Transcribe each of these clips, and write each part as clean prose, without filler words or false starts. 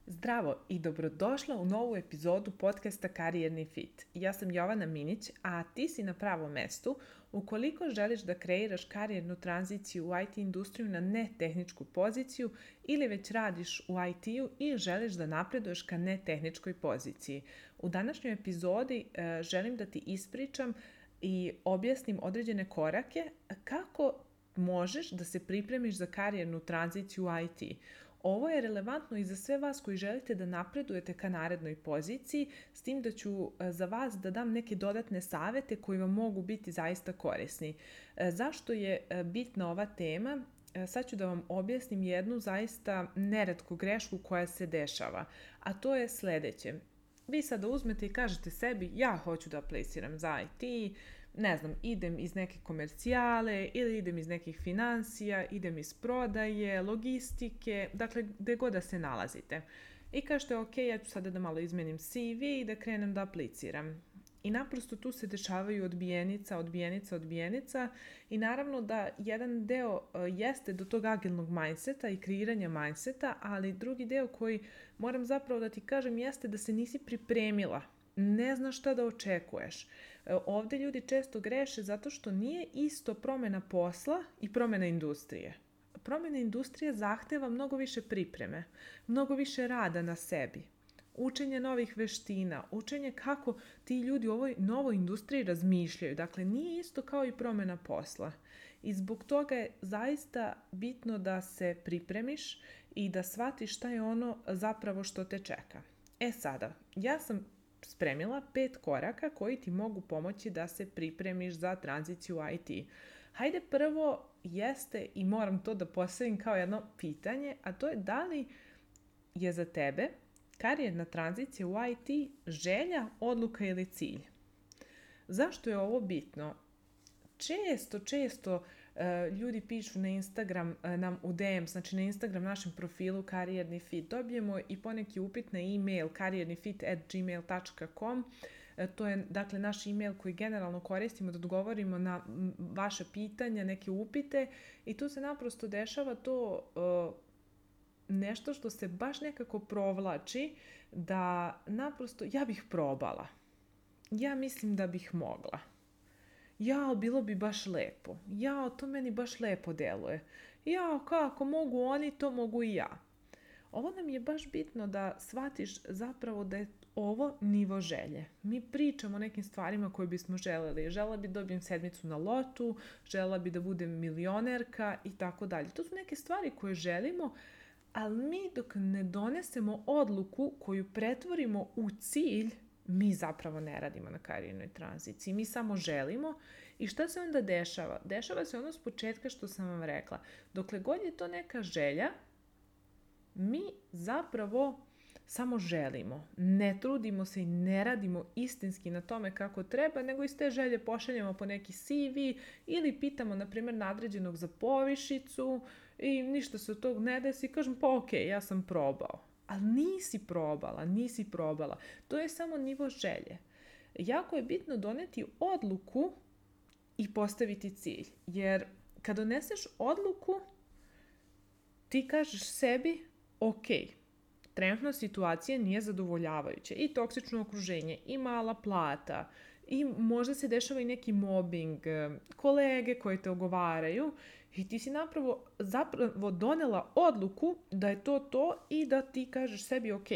Zdravo i dobrodošla u novu epizodu podcasta Karijerni fit. Ja sam Jovana Minić, a ti si na pravom mestu ukoliko želiš da kreiraš karijernu tranziciju u IT industriju na netehničku poziciju ili već radiš u IT-u i želiš da napreduješ ka netehničkoj poziciji. U današnjoj epizodi želim da ti ispričam i objasnim određene korake kako možeš da se pripremiš za karijernu tranziciju u IT. Ovo je relevantno i za sve vas koji želite da napredujete ka narednoj poziciji, s tim da ću za vas da dam neke dodatne savete koji vam mogu biti zaista korisni. Zašto je bitna ova tema? Sad ću da vam objasnim jednu zaista neretku grešku koja se dešava, a to je sledeće. Vi sada uzmete i kažete sebi, ja hoću da apliciram za IT, ne znam, idem iz neke komercijale ili idem iz nekih financija, idem iz prodaje, logistike, dakle gde god da se nalazite. I kažete, ok, ja ću sada da malo izmenim CV i da krenem da apliciram. I naprosto tu se dešavaju odbijenica i naravno da jedan deo jeste do tog agilnog mindseta i kreiranja mindseta, ali drugi deo koji moram zapravo da ti kažem jeste da se nisi pripremila. Ne znaš šta da očekuješ. Ovde ljudi često greše zato što nije isto promena posla i promena industrije. Promena industrije zahteva mnogo više pripreme, mnogo više rada na sebi, učenje novih veština, učenje kako ti ljudi u ovoj novoj industriji razmišljaju. Dakle, nije isto kao i promena posla. I zbog toga je zaista bitno da se pripremiš i da shvatiš šta je ono zapravo što te čeka. Sada, ja sam spremila 5 koraka koji ti mogu pomoći da se pripremiš za tranziciju u IT. Hajde prvo jeste, i moram to da postavim kao jedno pitanje, a to je da li je za tebe karijerna tranzicija u IT želja, odluka ili cilj? Zašto je ovo bitno? Često ljudi pišu na Instagram nam u DM, znači na Instagram našem profilu Karijerni fit. Dobijemo i poneki upit na e-mail kariernifit@gmail.com. To je dakle naš e-mail koji generalno koristimo da odgovorimo na vaše pitanja, neke upite i tu se naprosto dešava to nešto što se baš nekako provlači da naprosto ja bih probala. Ja mislim da bih mogla. Bilo bi baš lepo. To meni baš lepo deluje. Kako mogu oni, to mogu i ja. Ovo nam je baš bitno da shvatiš zapravo da je ovo nivo želje. Mi pričamo o nekim stvarima koje bismo želeli. Želela bi da dobijem sedmicu na lotu, želela bi da budem milionerka i tako dalje. To su neke stvari koje želimo, ali mi dok ne donesemo odluku koju pretvorimo u cilj, mi zapravo ne radimo na karijernoj tranziciji, mi samo želimo. I šta se onda dešava? Dešava se ono s početka što sam vam rekla. Dokle god je to neka želja, mi zapravo samo želimo. Ne trudimo se i ne radimo istinski na tome kako treba, nego iz te želje pošaljemo po neki CV ili pitamo, na primjer, nadređenog za povišicu i ništa se od tog ne desi i kažem, pa ok, ja sam probao. Ali nisi probala. To je samo nivo želje. Jako je bitno doneti odluku i postaviti cilj. Jer kad doneseš odluku, ti kažeš sebi, ok, trenutna situacija nije zadovoljavajuća. I toksično okruženje, i mala plata, i možda se dešava i neki mobbing, kolege koji te ogovaraju i ti si zapravo donela odluku da je to i da ti kažeš sebi ok,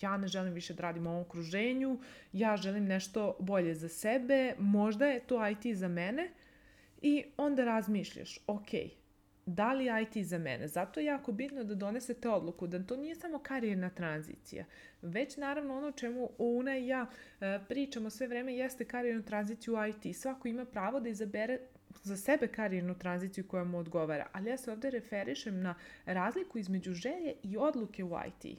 ja ne želim više da radim u ovom okruženju, ja želim nešto bolje za sebe, možda je to IT za mene i onda razmišljaš ok, da li je IT za mene? Zato je jako bitno da donesete odluku, da to nije samo karijerna tranzicija, već naravno ono o čemu Una i ja pričamo sve vreme jeste karijernu tranziciju u IT. Svako ima pravo da izabere za sebe karijernu tranziciju koja mu odgovara, ali ja se ovde referišem na razliku između želje i odluke u IT.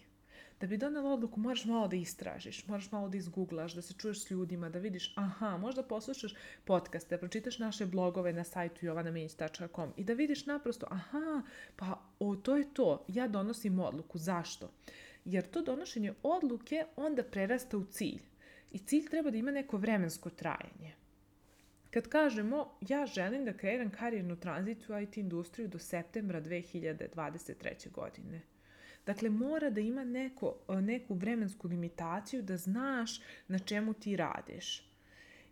Da bi donela odluku moraš malo da istražiš, moraš malo da izguglaš, da se čuješ s ljudima, da vidiš, možda poslušaš podcaste, da pročitaš naše blogove na sajtu jovanaminić.com i da vidiš naprosto, to je to, ja donosim odluku. Zašto? Jer to donošenje odluke onda prerasta u cilj. I cilj treba da ima neko vremensko trajanje. Kad kažemo ja želim da kreiram karijernu tranziciju u IT industriju do septembra 2023. godine. Dakle, mora da ima neku vremensku limitaciju da znaš na čemu ti radiš.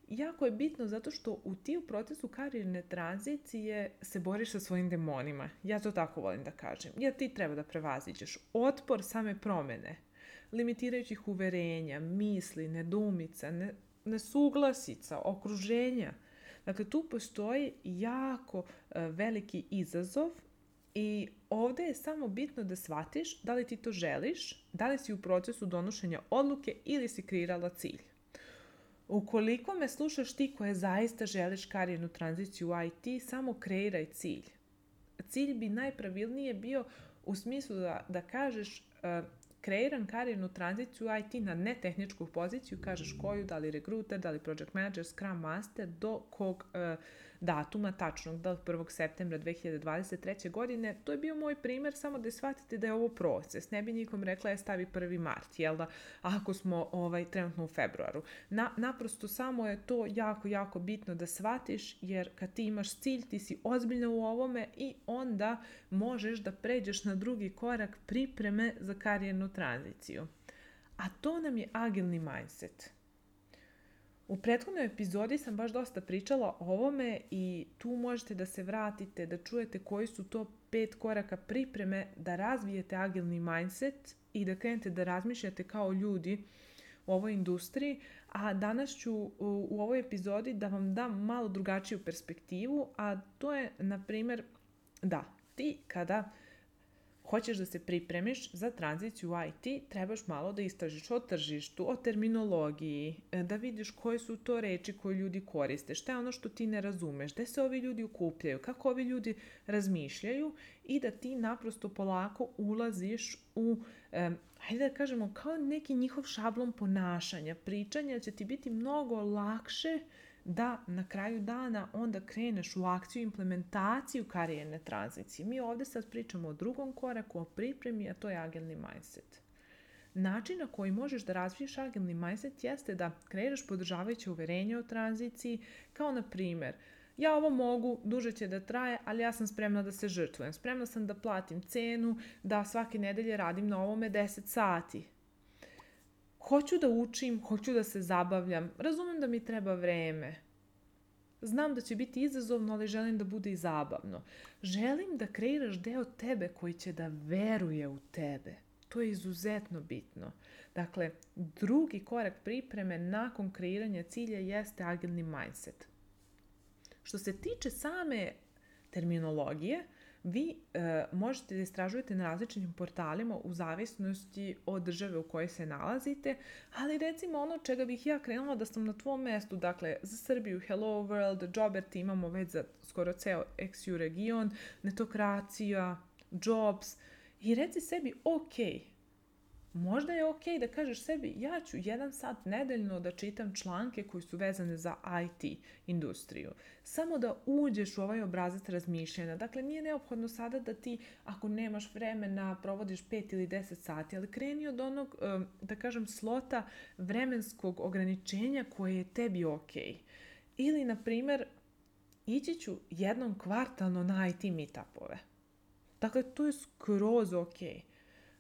Jako je bitno zato što ti u procesu karijerne tranzicije se boriš sa svojim demonima. Ja to tako volim da kažem. Jer ti treba da prevaziđeš otpor same promjene, limitirajućih uverenja, misli, nedoumica, nesuglasica, okruženja. Dakle, tu postoji jako veliki izazov i ovdje je samo bitno da shvatiš da li ti to želiš, da li si u procesu donošenja odluke ili si kreirala cilj. Ukoliko me slušaš ti koja zaista želiš karijernu tranziciju u IT, samo kreiraj cilj. Cilj bi najpravilnije bio u smislu da kažeš kreiram karijernu tranziciju u IT na netehničku poziciju, kažeš koju, da li rekruter, da li project manager, scrum master, do kog datuma tačnog, da li 1. septembra 2023. godine. To je bio moj primjer, samo da shvatite da je ovo proces. Ne bi nikom rekla stavi 1. mart, jel da, ako smo trenutno u februaru. Naprosto samo je to jako, jako bitno da shvatiš, jer kad ti imaš cilj, ti si ozbiljna u ovome i onda možeš da pređeš na drugi korak pripreme za karijernu tranziciju. A to nam je agilni mindset. U prethodnoj epizodi sam baš dosta pričala o ovome i tu možete da se vratite, da čujete koji su to 5 koraka pripreme da razvijete agilni mindset i da krenete da razmišljate kao ljudi u ovoj industriji, a danas ću u ovoj epizodi da vam dam malo drugačiju perspektivu, a to je, na primjer, da ti kada hoćeš da se pripremiš za tranziciju u IT, trebaš malo da istražiš o tržištu, o terminologiji, da vidiš koje su to reči koje ljudi koriste, šta je ono što ti ne razumeš, gde se ovi ljudi okupljaju, kako ovi ljudi razmišljaju i da ti naprosto polako ulaziš u, hajde da kažemo, kao neki njihov šablon ponašanja, pričanja, će ti biti mnogo lakše da na kraju dana onda kreneš u akciju, implementaciju karijerne tranzicije. Mi ovdje sad pričamo o drugom koraku, o pripremi, a to je agilni mindset. Način na koji možeš da razviješ agilni mindset jeste da kreiraš podržavajuće uverenje o tranziciji, kao na primjer, ja ovo mogu, duže će da traje, ali ja sam spremna da se žrtvujem. Spremna sam da platim cenu, da svake nedelje radim na ovome 10 sati. Hoću da učim, hoću da se zabavljam, razumem da mi treba vreme. Znam da će biti izazovno, ali želim da bude i zabavno. Želim da kreiraš deo tebe koji će da veruje u tebe. To je izuzetno bitno. Dakle, drugi korak pripreme nakon kreiranja cilja jeste agilni mindset. Što se tiče same terminologije, vi možete da istražujete na različitim portalima u zavisnosti od države u kojoj se nalazite, ali recimo ono čega bih ja krenula da sam na tvom mestu, dakle za Srbiju Hello World, Jobert imamo već za skoro ceo XU region, netokracija, jobs i reci sebi možda je ok da kažeš sebi ja ću 1 sat nedeljno da čitam članke koji su vezane za IT industriju. Samo da uđeš u ovaj obrazac razmišljanja. Dakle, nije neophodno sada da ti, ako nemaš vremena, provodiš 5 ili 10 sati, ali kreni od onog, da kažem, slota vremenskog ograničenja koje je tebi ok. Ili, na primjer, ići ću jednom kvartalno na IT meetupove. Dakle, to je skroz ok.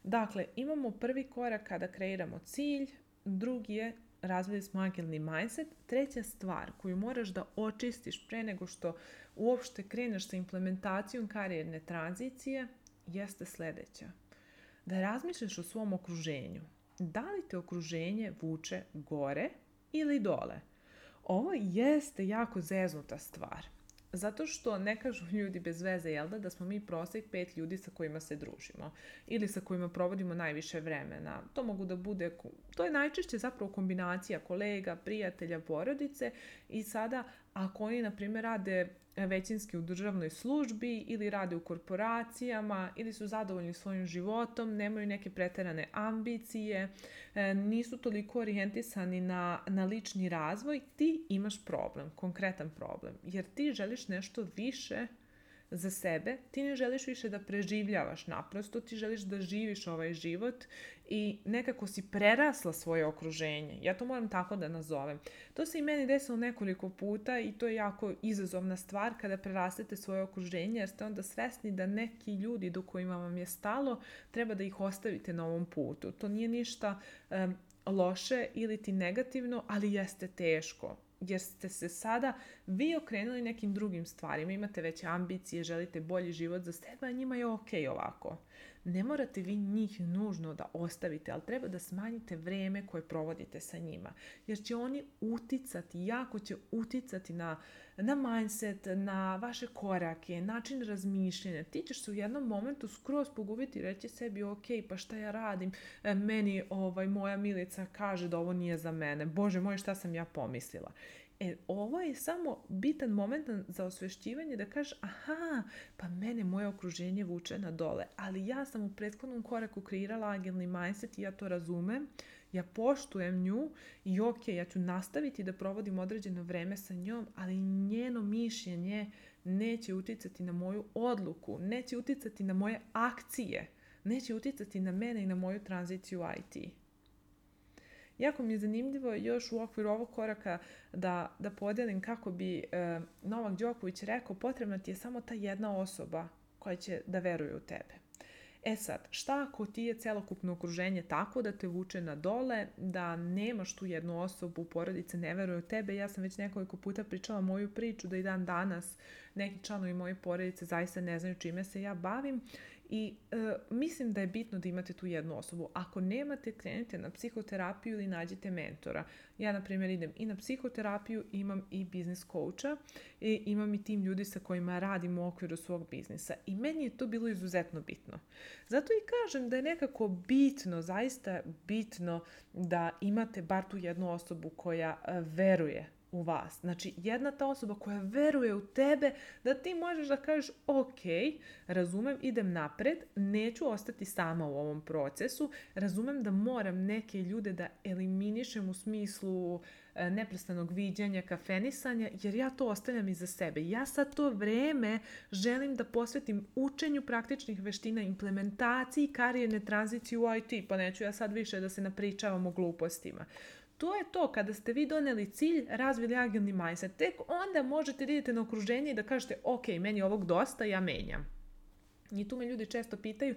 Dakle, imamo prvi korak kada kreiramo cilj, drugi je razvili smo agilni mindset. Treća stvar koju moraš da očistiš pre nego što uopšte kreneš sa implementacijom karijerne tranzicije jeste sljedeća. Da razmišljaš o svom okruženju. Da li te okruženje vuče gore ili dole? Ovo jeste jako zeznuta stvar. Zato što ne kažu ljudi bez veze, jel da smo mi prosjek 5 ljudi sa kojima se družimo ili sa kojima provodimo najviše vremena. To mogu da bude, to je najčešće zapravo kombinacija kolega, prijatelja, porodice i sada ako oni, na primjer, rade većinski u državnoj službi ili rade u korporacijama ili su zadovoljni svojim životom, nemaju neke preterane ambicije, nisu toliko orijentisani na lični razvoj, ti imaš problem, konkretan problem, jer ti želiš nešto više za sebe, ti ne želiš više da preživljavaš, naprosto ti želiš da živiš ovaj život i nekako si prerasla svoje okruženje. Ja to moram tako da nazovem. To se i meni desilo nekoliko puta i to je jako izazovna stvar kada prerastete svoje okruženje, jer ste onda svesni da neki ljudi do kojima vam je stalo treba da ih ostavite na ovom putu. To nije ništa loše ili ti negativno, ali jeste teško. Jer ste se sada vi okrenuli nekim drugim stvarima, imate veće ambicije, želite bolji život za sebe, a njima je okej ovako. Ne morate vi njih nužno da ostavite, ali treba da smanjite vreme koje provodite sa njima. Jer će oni uticati, jako će uticati na mindset, na vaše korake, način razmišljanja. Ti ćeš se u jednom momentu skroz pogubiti i reći sebi, pa šta ja radim? Meni moja Milica kaže da ovo nije za mene. Bože moj, šta sam ja pomislila? Ovo je samo bitan moment za osvešćivanje da kažeš, pa mene moje okruženje vuče na dole, ali ja sam u prethodnom koraku kreirala agilni mindset i ja to razumem, ja poštujem nju i ja ću nastaviti da provodim određeno vreme sa njom, ali njeno mišljenje neće uticati na moju odluku, neće uticati na moje akcije, neće uticati na mene i na moju tranziciju IT. Jako mi je zanimljivo još u okviru ovog koraka da podelim kako bi Novak Đoković rekao, potrebna ti je samo ta jedna osoba koja će da veruje u tebe. Sad, šta ako ti je celokupno okruženje tako da te vuče na dole, da nemaš tu jednu osobu, porodice ne veruje u tebe? Ja sam već nekoliko puta pričala moju priču da i dan danas neki članovi moje porodice zaista ne znaju čime se ja bavim. I mislim da je bitno da imate tu jednu osobu. Ako nemate, krenite na psihoterapiju ili nađite mentora. Ja, na primjer, idem i na psihoterapiju, imam i biznis coacha i imam i tim ljudi sa kojima radim u okviru svog biznisa. I meni je to bilo izuzetno bitno. Zato i kažem da je nekako bitno, zaista bitno da imate bar tu jednu osobu koja veruje u vas. Znači, jedna ta osoba koja veruje u tebe, da ti možeš da kažeš, razumem, idem napred, neću ostati sama u ovom procesu, razumem da moram neke ljude da eliminišem u smislu neprestanog viđanja, kafenisanja, jer ja to ostavljam iza sebe. Ja sad to vreme želim da posvetim učenju praktičnih veština, implementaciji karijerne tranzicije u IT, pa neću ja sad više da se napričavam o glupostima. To je to, kada ste vi doneli cilj, razvili agilni mindset, tek onda možete da idete na okruženje i da kažete, meni je ovog dosta, ja menjam. I tu me ljudi često pitaju,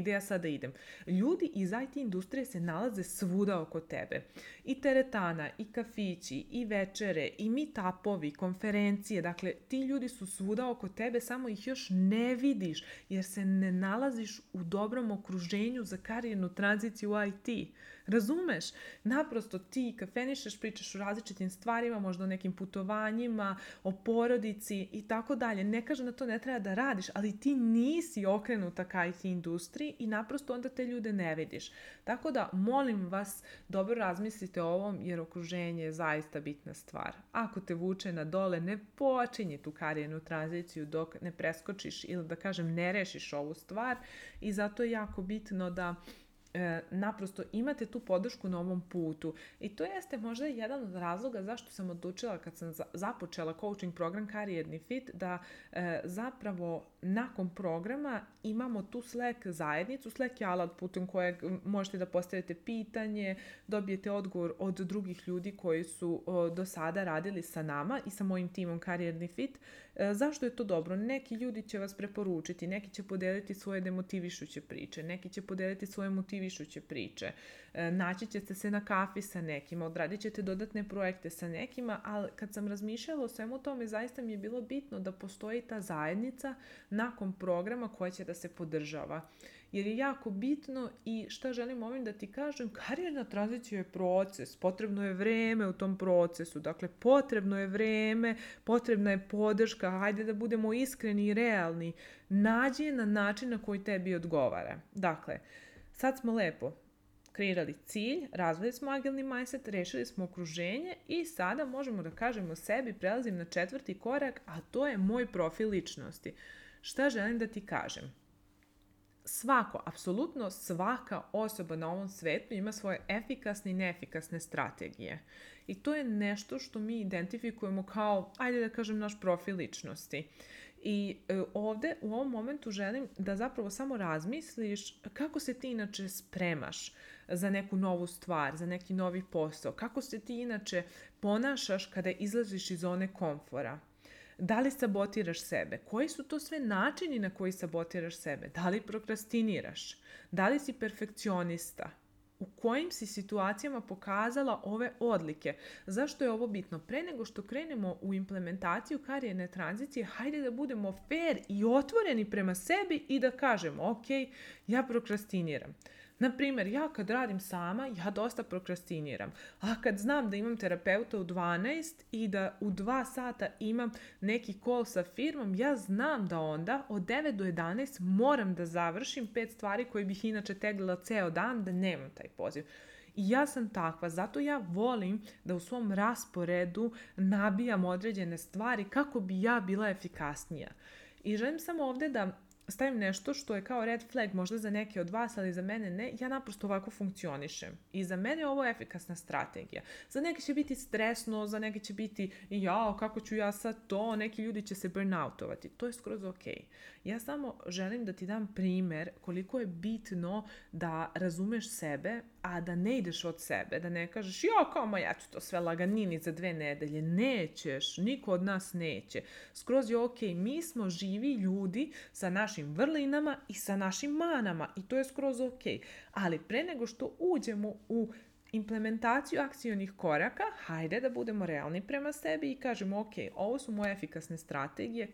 gdje ja sada idem? Ljudi iz IT industrije se nalaze svuda oko tebe. I teretana, i kafići, i večere, i meetupovi, konferencije, dakle, ti ljudi su svuda oko tebe, samo ih još ne vidiš, jer se ne nalaziš u dobrom okruženju za karijernu tranziciju u IT. Razumeš? Naprosto ti kafenišeš, pričaš o različitim stvarima, možda o nekim putovanjima, o porodici i tako dalje. Ne kažem da to ne treba da radiš, ali ti nisi okrenuta ka IT industriji i naprosto onda te ljude ne vidiš. Tako da, molim vas, dobro razmislite o ovom, jer okruženje je zaista bitna stvar. Ako te vuče na dole, ne počinji tu karijernu tranziciju dok ne preskočiš ili da kažem ne rešiš ovu stvar i zato je jako bitno da naprosto imate tu podršku na ovom putu i to jeste možda jedan od razloga zašto sam odlučila kad sam započela coaching program Karijerni fit da zapravo nakon programa imamo tu Slack zajednicu. Slack je alat putem kojeg možete da postavite pitanje, dobijete odgovor od drugih ljudi koji su do sada radili sa nama i sa mojim timom Karijerni fit. Zašto je to dobro? Neki ljudi će vas preporučiti, neki će podeliti svoje demotivišuće priče, neki će podeliti svoje motivišuće priče, naći ćete se na kafi sa nekima, odradit ćete dodatne projekte sa nekima, ali kad sam razmišljala o svemu tome, zaista mi je bilo bitno da postoji ta zajednica nakon programa koja će da se podržava. Jer je jako bitno i šta želim ovim da ti kažem, karijerna tranzicija je proces, potrebno je vreme u tom procesu, dakle potrebno je vreme, potrebna je podrška, hajde da budemo iskreni i realni, nađi je na način na koji tebi odgovara. Dakle, sad smo lepo kreirali cilj, razvili smo agilni mindset, rešili smo okruženje i sada možemo da kažemo sebi, prelazim na 4. korak, a to je moj profil ličnosti. Šta želim da ti kažem? Apsolutno svaka osoba na ovom svetu ima svoje efikasne i neefikasne strategije. I to je nešto što mi identifikujemo kao, ajde da kažem, naš profil ličnosti. I ovde u ovom momentu želim da zapravo samo razmisliš kako se ti inače spremaš za neku novu stvar, za neki novi posao, kako se ti inače ponašaš kada izlaziš iz zone komfora. Da li sabotiraš sebe? Koji su to sve načini na koji sabotiraš sebe? Da li prokrastiniraš? Da li si perfekcionista? U kojim si situacijama pokazala ove odlike? Zašto je ovo bitno? Pre nego što krenemo u implementaciju karijerne tranzicije, hajde da budemo fair i otvoreni prema sebi i da kažemo, ok, ja prokrastiniram. Naprimjer, ja kad radim sama, ja dosta prokrastiniram. A kad znam da imam terapeuta u 12 i da u 2 sata imam neki call sa firmom, ja znam da onda od 9 do 11 moram da završim 5 stvari koje bih inače teglila ceo dan da nemam taj poziv. I ja sam takva, zato ja volim da u svom rasporedu nabijam određene stvari kako bi ja bila efikasnija. I želim samo ovdje da stavim nešto što je kao red flag možda za neke od vas, ali za mene ne. Ja naprosto ovako funkcionišem. I za mene ovo je efikasna strategija. Za neke će biti stresno, za neke će biti jao, kako ću ja sad to, neki ljudi će se burnoutovati. To je skroz ok. Ja samo želim da ti dam primjer koliko je bitno da razumeš sebe, a da ne ideš od sebe, da ne kažeš kao ma ja ću to sve laganini za 2 nedelje. Nećeš, niko od nas neće. Skroz je ok, mi smo živi ljudi sa našim vrlinama i sa našim manama i to je skroz ok. Ali pre nego što uđemo u implementaciju akcionih koraka, hajde da budemo realni prema sebi i kažemo ok, ovo su moje efikasne strategije,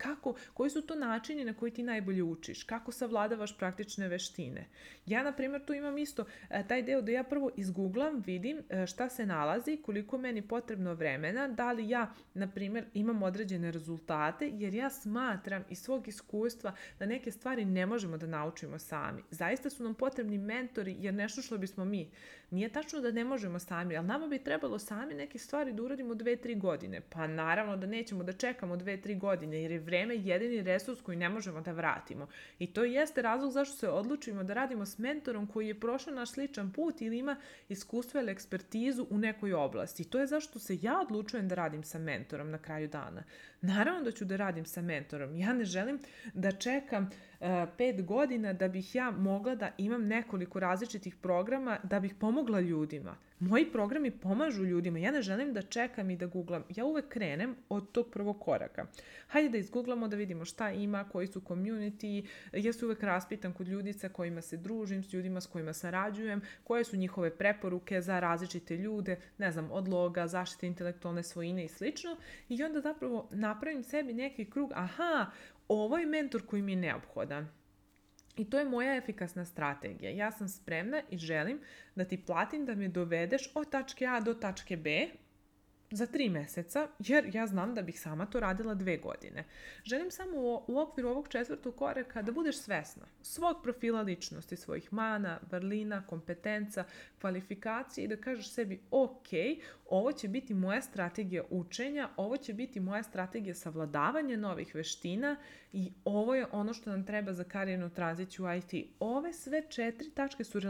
koji su to načini na koji ti najbolje učiš, kako savladavaš praktične veštine. Ja, na primjer, tu imam isto taj deo da ja prvo izgooglam, vidim šta se nalazi, koliko meni potrebno vremena, da li ja, na primjer, imam određene rezultate, jer ja smatram iz svog iskustva da neke stvari ne možemo da naučimo sami. Zaista su nam potrebni mentori, jer nešto što bismo mi. Nije tačno da ne možemo sami, ali nama bi trebalo sami neke stvari da uradimo 2-3 godine. Pa naravno da nećemo da čekamo 2-3 godine, jer je vreme jedini resurs koji ne možemo da vratimo. I to jeste razlog zašto se odlučimo da radimo s mentorom koji je prošao naš sličan put ili ima iskustvo ili ekspertizu u nekoj oblasti. I to je zašto se ja odlučujem da radim sa mentorom na kraju dana. Naravno da ću da radim sa mentorom. Ja ne želim da čekam 5 godina da bih ja mogla da imam nekoliko različitih programa da bih pomogla ljudima. Moji programi pomažu ljudima. Ja ne želim da čekam i da googlam. Ja uvek krenem od tog prvog koraka. Hajde da izgooglamo da vidimo šta ima, koji su community. Ja se uvek raspitam kod ljudi sa kojima se družim, s ljudima s kojima sarađujem, koje su njihove preporuke za različite ljude, ne znam, od loga, zaštite intelektualne svojine i slično. I onda zapravo napravim sebi neki krug, ovo je mentor koji mi je neophodan. I to je moja efikasna strategija. Ja sam spremna i želim da ti platim da me dovedeš od tačke A do tačke B za 3 meseca, jer ja znam da bih sama to radila 2 godine. Želim samo u okviru ovog 4. koraka da budeš svesna svog profila ličnosti, svojih mana, vrlina, kompetenca, kvalifikacije i da kažeš sebi ok, ovo će biti moja strategija učenja, ovo će biti moja strategija savladavanja novih veština i ovo je ono što nam treba za karijernu tranziciju u IT. Ove sve 4 tačke su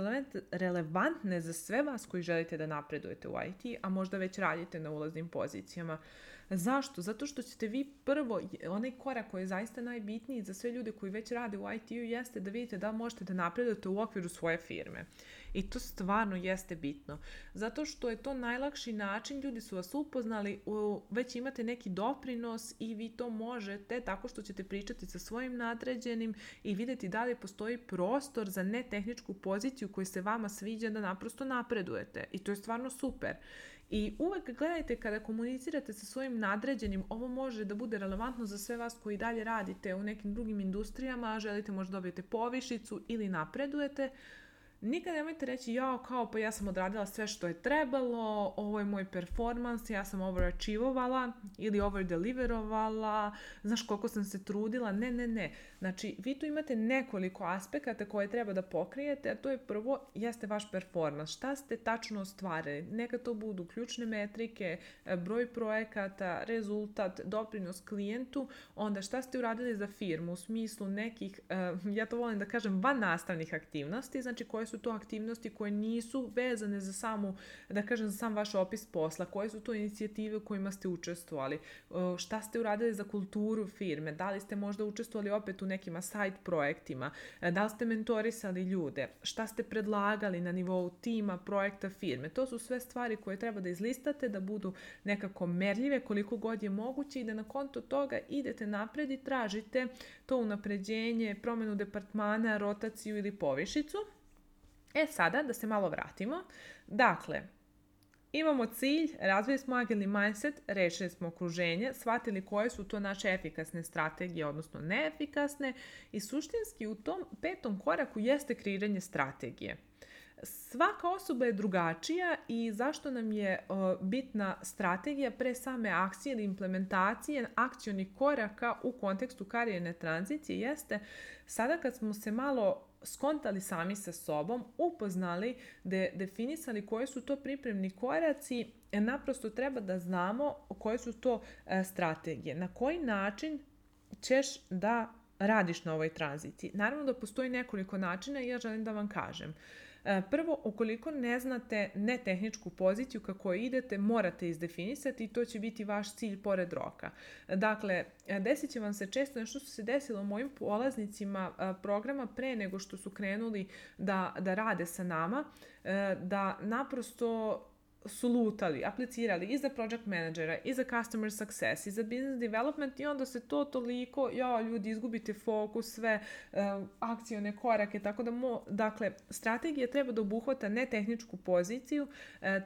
relevantne za sve vas koji želite da napredujete u IT, a možda već radite na ulaznim pozicijama. Zašto? Zato što ćete vi prvo, onaj korak koji je zaista najbitniji za sve ljude koji već rade u IT-u jeste da vidite da možete da napredujete u okviru svoje firme. I to stvarno jeste bitno. Zato što je to najlakši način, ljudi su vas upoznali, već imate neki doprinos i vi to možete tako što ćete pričati sa svojim nadređenim i vidjeti da li postoji prostor za netehničku poziciju koja se vama sviđa da naprosto napredujete. I to je stvarno super. I uvek gledajte kada komunicirate sa svojim nadređenim, ovo može da bude relevantno za sve vas koji dalje radite u nekim drugim industrijama, a želite možda dobijete povišicu ili napredujete. Nikad nemojte reći pa ja sam odradila sve što je trebalo, ovo je moj performans, ja sam overachievovala ili overdeliverovala, znaš koliko sam se trudila, ne. Znači, vi tu imate nekoliko aspekata koje treba da pokrijete, a to je prvo, jeste vaš performans, šta ste tačno ostvarili, neka to budu ključne metrike, broj projekata, rezultat, doprinos klijentu, onda šta ste uradili za firmu u smislu nekih, ja to volim da kažem, van nastavnih aktivnosti, znači koje su to aktivnosti koje nisu vezane za samu, da kažem, za sam vaš opis posla, koje su to inicijative u kojima ste učestvovali, šta ste uradili za kulturu firme, da li ste možda učestvovali opet u nekima side projektima, da li ste mentorisali ljude, šta ste predlagali na nivou tima, projekta firme. To su sve stvari koje treba da izlistate, da budu nekako merljive koliko god je moguće i da na konto toga idete napred i tražite to unapređenje, promjenu departmana, rotaciju ili povišicu. Sada da se malo vratimo. Dakle, imamo cilj, razvili smo agilni mindset, rešili smo okruženje, shvatili koje su to naše efikasne strategije, odnosno neefikasne, i suštinski u tom 5. koraku jeste kreiranje strategije. Svaka osoba je drugačija i zašto nam je bitna strategija pre same akcije ili implementacije akcionih koraka u kontekstu karijerne tranzicije jeste sada kad smo se malo skontali sami sa sobom, upoznali, definisali koje su to pripremni koraci, naprosto treba da znamo koje su to strategije. Na koji način ćeš da radiš na ovoj tranziciji? Naravno da postoji nekoliko načina i ja želim da vam kažem. Prvo, ukoliko ne znate netehničku poziciju kako idete, morate izdefinisati i to će biti vaš cilj pored roka. Dakle, desit će vam se često nešto što se desilo mojim polaznicima programa pre nego što su krenuli da rade sa nama, da naprosto su lutali, aplicirali i za project managera, i za customer success, i za business development i onda se to toliko, ljudi izgubite fokus, sve akcione korake, tako da dakle, strategija treba da obuhvata ne tehničku poziciju,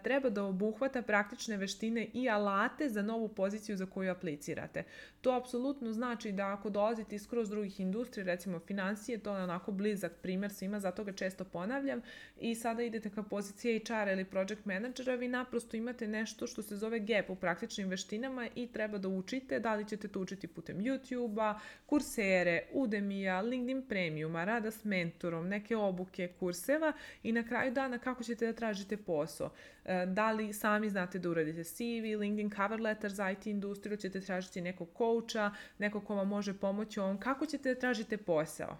treba da obuhvata praktične veštine i alate za novu poziciju za koju aplicirate. To apsolutno znači da ako dolazite iz skroz drugih industrija, recimo financije, to je onako blizak primjer svima, zato ga često ponavljam, i sada idete ka poziciji HR ili project managera, vi naprosto imate nešto što se zove gap u praktičnim veštinama i treba da učite. Da li ćete to učiti putem YouTube-a, Coursere, Udemy-a, LinkedIn Premiuma, rada s mentorom, neke obuke, kurseva i na kraju dana kako ćete da tražite posao. Da li sami znate da uradite CV, LinkedIn cover letter za IT industriju, ćete tražiti nekog coacha, nekog ko vam može pomoći ovom, kako ćete da tražite posao.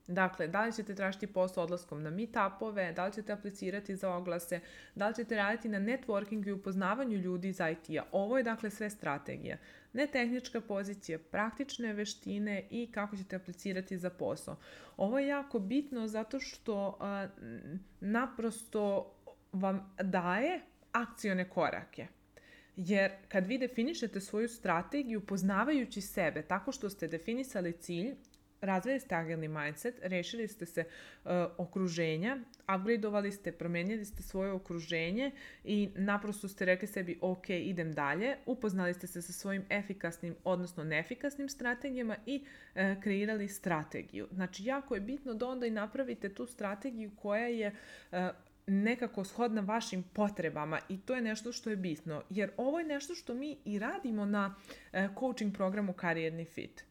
Dakle, da li ćete tražiti posao odlaskom na meetupove, da li ćete aplicirati za oglase, da li ćete raditi na networkingu i upoznavanju ljudi iz IT-a. Ovo je dakle sve strategija. Ne tehnička pozicija, praktične veštine i kako ćete aplicirati za posao. Ovo je jako bitno zato što naprosto vam daje akcione korake. Jer kad vi definišete svoju strategiju poznavajući sebe tako što ste definisali cilj, razvili ste agilni mindset, rešili ste se okruženja, upgradeovali ste, promenili ste svoje okruženje i naprosto ste rekli sebi ok, idem dalje, upoznali ste se sa svojim efikasnim, odnosno neefikasnim strategijama i kreirali strategiju. Znači, jako je bitno da onda i napravite tu strategiju koja je nekako shodna vašim potrebama i to je nešto što je bitno, jer ovo je nešto što mi i radimo na coaching programu Karijerni fit.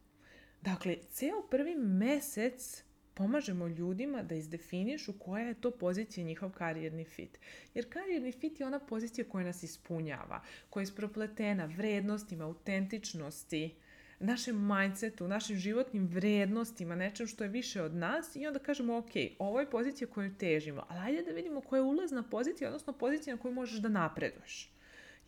Dakle, ceo prvi mesec pomažemo ljudima da izdefinišu koja je to pozicija njihov karijerni fit. Jer karijerni fit je ona pozicija koja nas ispunjava, koja je isprepletena vrednostima, autentičnosti, našem mindsetu, našim životnim vrednostima, nečem što je više od nas i onda kažemo ok, ovo je pozicija koju težimo, ali ajde da vidimo koja je ulazna pozicija, odnosno pozicija na koju možeš da napreduješ.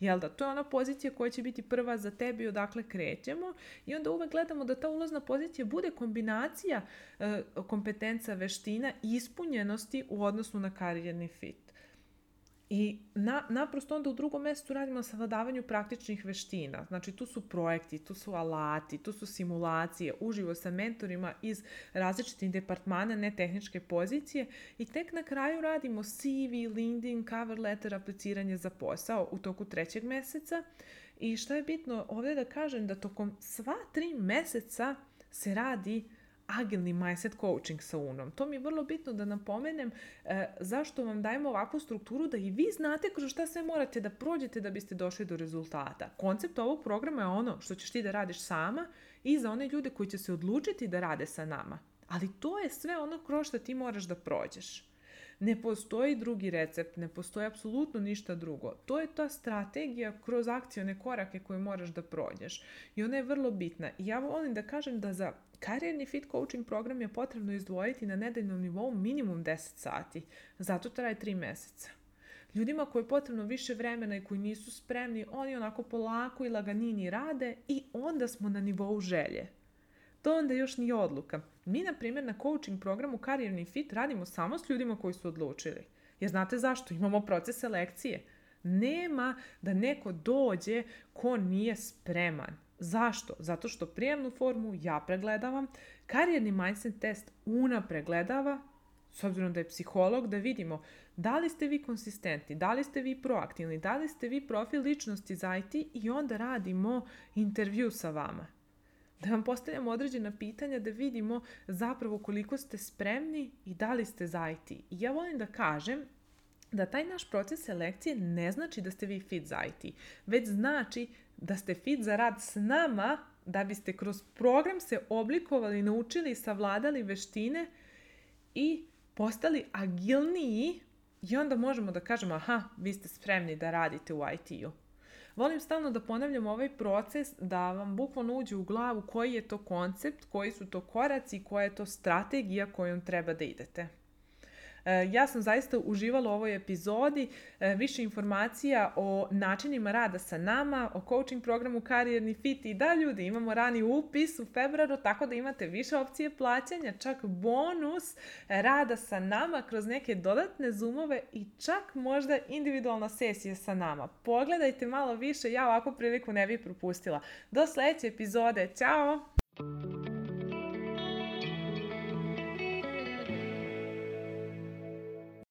Jel da? To je ona pozicija koja će biti prva za tebi odakle krećemo i onda uvek gledamo da ta ulazna pozicija bude kombinacija kompetenca, veština i ispunjenosti u odnosu na karijerni fit. I naprosto onda u drugom mjestu radimo na savladavanju praktičnih veština. Znači tu su projekti, tu su alati, tu su simulacije, uživo sa mentorima iz različitih departmana, ne tehničke pozicije i tek na kraju radimo CV, LinkedIn, cover letter, apliciranje za posao u toku 3. meseca. I što je bitno ovdje da kažem da tokom sva 3 meseca se radi agilni mindset coaching sa UNOM. To mi je vrlo bitno da napomenem zašto vam dajemo ovakvu strukturu da i vi znate kroz šta sve morate da prođete da biste došli do rezultata. Koncept ovog programa je ono što ćeš ti da radiš sama i za one ljude koji će se odlučiti da rade sa nama. Ali to je sve ono kroz što ti moraš da prođeš. Ne postoji drugi recept, ne postoji apsolutno ništa drugo. To je ta strategija kroz akcione korake koje moraš da prođeš. I ona je vrlo bitna. I ja volim da kažem da za karijerni fit coaching program je potrebno izdvojiti na nedeljnom nivou minimum 10 sati. Zato traje 3 meseca. Ljudima koji je potrebno više vremena i koji nisu spremni, oni onako polako i laganini rade i onda smo na nivou želje. To onda još nije odluka. Mi, na primjer, na coaching programu Karijerni fit radimo samo s ljudima koji su odlučili. Jer znate zašto? Imamo proces selekcije. Nema da neko dođe ko nije spreman. Zašto? Zato što prijemnu formu ja pregledavam, karijerni mindset test Una pregledava, s obzirom da je psiholog, da vidimo da li ste vi konsistentni, da li ste vi proaktivni, da li ste vi profil ličnosti za IT i onda radimo intervju sa vama. Da vam postavljamo određena pitanja da vidimo zapravo koliko ste spremni i da li ste za IT. I ja volim da kažem da taj naš proces selekcije ne znači da ste vi fit za IT, već znači da ste fit za rad s nama, da biste kroz program se oblikovali, naučili i savladali veštine i postali agilniji i onda možemo da kažemo aha, vi ste spremni da radite u IT-u. Volim stalno da ponavljam ovaj proces da vam bukvalno uđe u glavu koji je to koncept, koji su to koraci, koja je to strategija kojom treba da idete. Ja sam zaista uživala u ovoj epizodi. Više informacija o načinima rada sa nama, o coaching programu Karijerni fit i da ljudi, imamo rani upis u februaru, tako da imate više opcije plaćanja, čak bonus rada sa nama kroz neke dodatne zoomove i čak možda individualna sesija sa nama. Pogledajte malo više, ja ovakvu priliku ne bih propustila. Do sljedeće epizode, ćao!